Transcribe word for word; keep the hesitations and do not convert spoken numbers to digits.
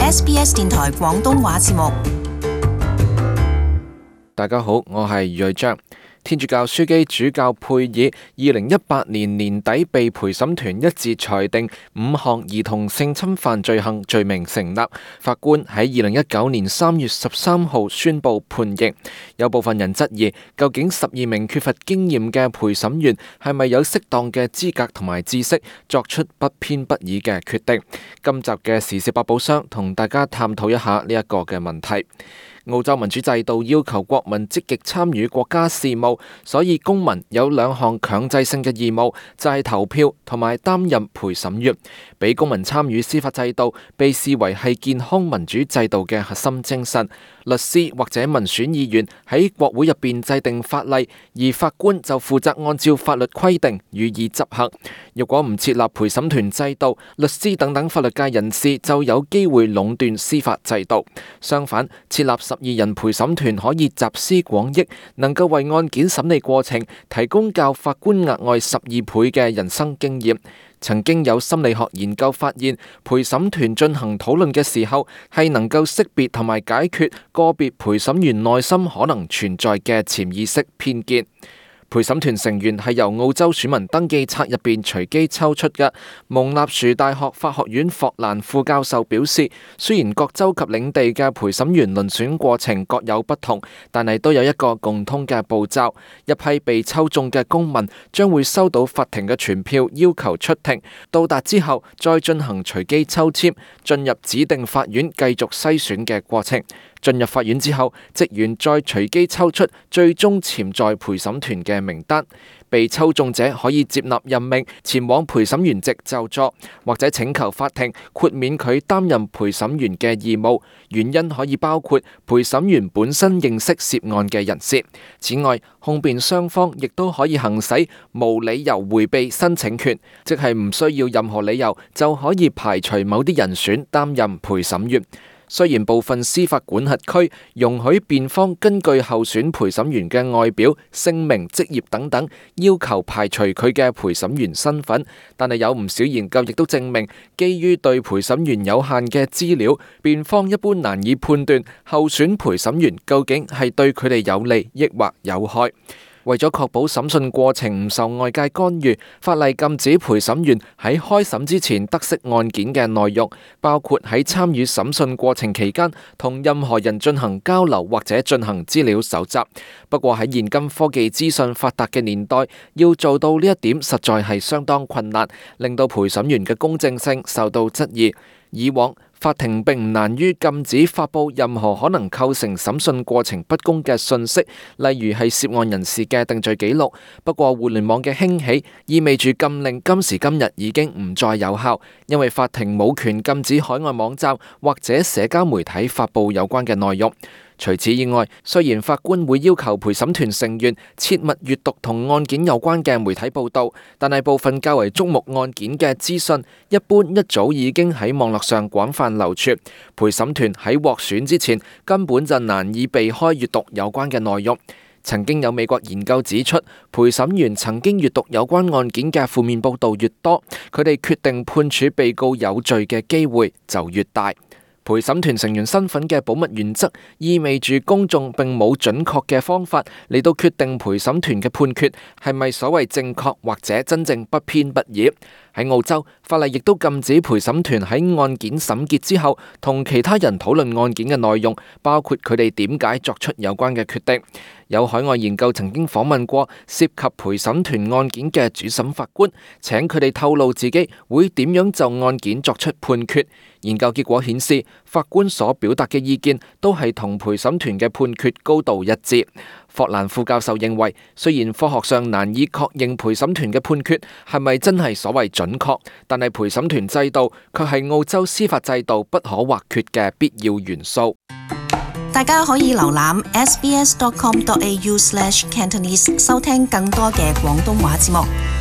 S B S 電台廣東話節目。大家好，我係余瑞章。天主教樞機主教佩爾二零一八年年底被陪審團一致裁定五項兒童性侵犯罪行罪名成立，法官喺二零一九年三月十三號宣布判刑。有部分人質疑，究竟十二名缺乏經驗嘅陪審員係咪有適當嘅資格同埋知識作出不偏不倚嘅決定？今集嘅時事百寶箱同大家探討一下呢一個嘅問題。澳洲民主制度要求國民積極參與國家事務，所以公民有兩項強制性嘅義務，就係投票同埋擔任陪審員。俾公民參與司法制度，被視為係健康民主制度嘅核心精神。律師或者民選議員喺國會入邊制定法例，而法官就負責按照法律規定予以執行。如果唔設立陪審團制度，律師等等法律界人士就有機會壟斷司法制度。相反，設立十二人陪審團可以集思廣益，能夠為案件審理過程提供較法官額外十二倍嘅人生經驗。曾經有心理學研究發現，陪審團進行討論嘅時候，係能夠識別同埋解決個別陪審員內心可能存在嘅潛意識偏見。陪審團成員係由澳洲選民登記冊入邊隨機抽出嘅。蒙納殊大學法學院霍蘭副教授表示，雖然各州及領地嘅陪審員遴選過程各有不同，但係都有一個共通嘅步驟。一批被抽中嘅公民將會收到法庭嘅傳票，要求出庭。到達之後，再進行隨機抽籤，進入指定法院繼續篩選嘅過程。進入法院之後，職員再隨機抽出最終潛在陪審團嘅名單。被抽中者可以接納任命，前往陪審員席就座，或者請求法庭豁免佢擔任陪審員嘅義務。原因可以包括陪審員本身認識涉案嘅人士。此外，控辯雙方亦都可以行使無理由迴避申請權，即係唔需要任何理由就可以排除某啲人選擔任陪審員。雖然部分司法管轄區容許辯方根據候選陪審員嘅外表、姓名、職業等等，要求排除佢嘅陪審員身份，但係有唔少研究亦都證明，基於對陪審員有限嘅資料，辯方一般難以判斷候選陪審員究竟係對佢哋有利抑或有害。為咗確保審訊過程唔受外界干預，法例禁止陪審員喺開審之前得悉案件嘅內容，包括喺參與審訊過程期間同任何人進行交流或者進行資料搜集。不過喺現今科技資訊發達嘅年代，要做到呢一點實在係相當困難，令到陪審員嘅公正性受到質疑。以往法庭並唔難於禁止發佈任何可能構成審訊過程不公嘅訊息，例如係涉案人士嘅定罪記錄。不過互聯網嘅興起意味住禁令今時今日已經唔再有效，因為法庭冇權禁止海外網站或者社交媒體發佈有關嘅內容。除此以外，雖然法官會要求陪審團成員切勿閱讀同案件有關嘅媒體報道，但係部分較為矚目案件嘅資訊，一般一早已經喺網絡上廣泛流傳。陪審團喺獲選之前，根本就難以避開閱讀有關嘅內容。曾經有美國研究指出，陪審員曾經閱讀有關案件嘅負面報道越多，佢哋決定判處被告有罪嘅機會就越大。陪審團成員身份嘅保密原則意味住公眾並冇準確嘅方法嚟到決定陪審團嘅判決係咪所謂正確或者真正不偏不倚。喺澳洲，法例亦都禁止陪審團喺案件審結之後同其他人討論案件嘅內容，包括佢哋點解作出有關嘅決定。有海外研究曾經訪問過涉及陪審團案件嘅主審法官，請佢哋透露自己會點樣就案件作出判決。研究結果顯示，法官所表達嘅意見都係同陪審團嘅判決高度一致。霍蘭副教授認為，雖然科學上難以確認陪審團嘅判決係咪真係所謂準確，但係陪審團制度卻係澳洲司法制度不可或缺嘅必要元素。大家可以瀏覽 s b s dot com dot a u slash cantonese 收聽更多嘅廣東話節目。